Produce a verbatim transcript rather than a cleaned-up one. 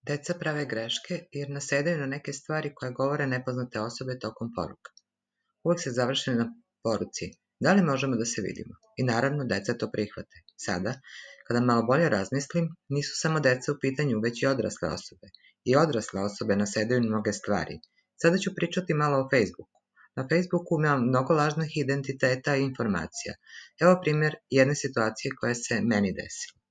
Deca prave greške jer nasedaju na neke stvari koje govore nepoznate osobe tokom poruka. Uvek se završe na poruci da li možemo da se vidimo i naravno deca to prihvate. Sada, kada malo bolje razmislim, nisu samo deca u pitanju, već i odrasle osobe. I odrasle osobe nasedaju na mnoge stvari. Sada ću pričati malo o Facebooku. Na Facebooku ima mnogo lažnih identiteta i informacija. Evo primjer jedne situacije koja se meni desila.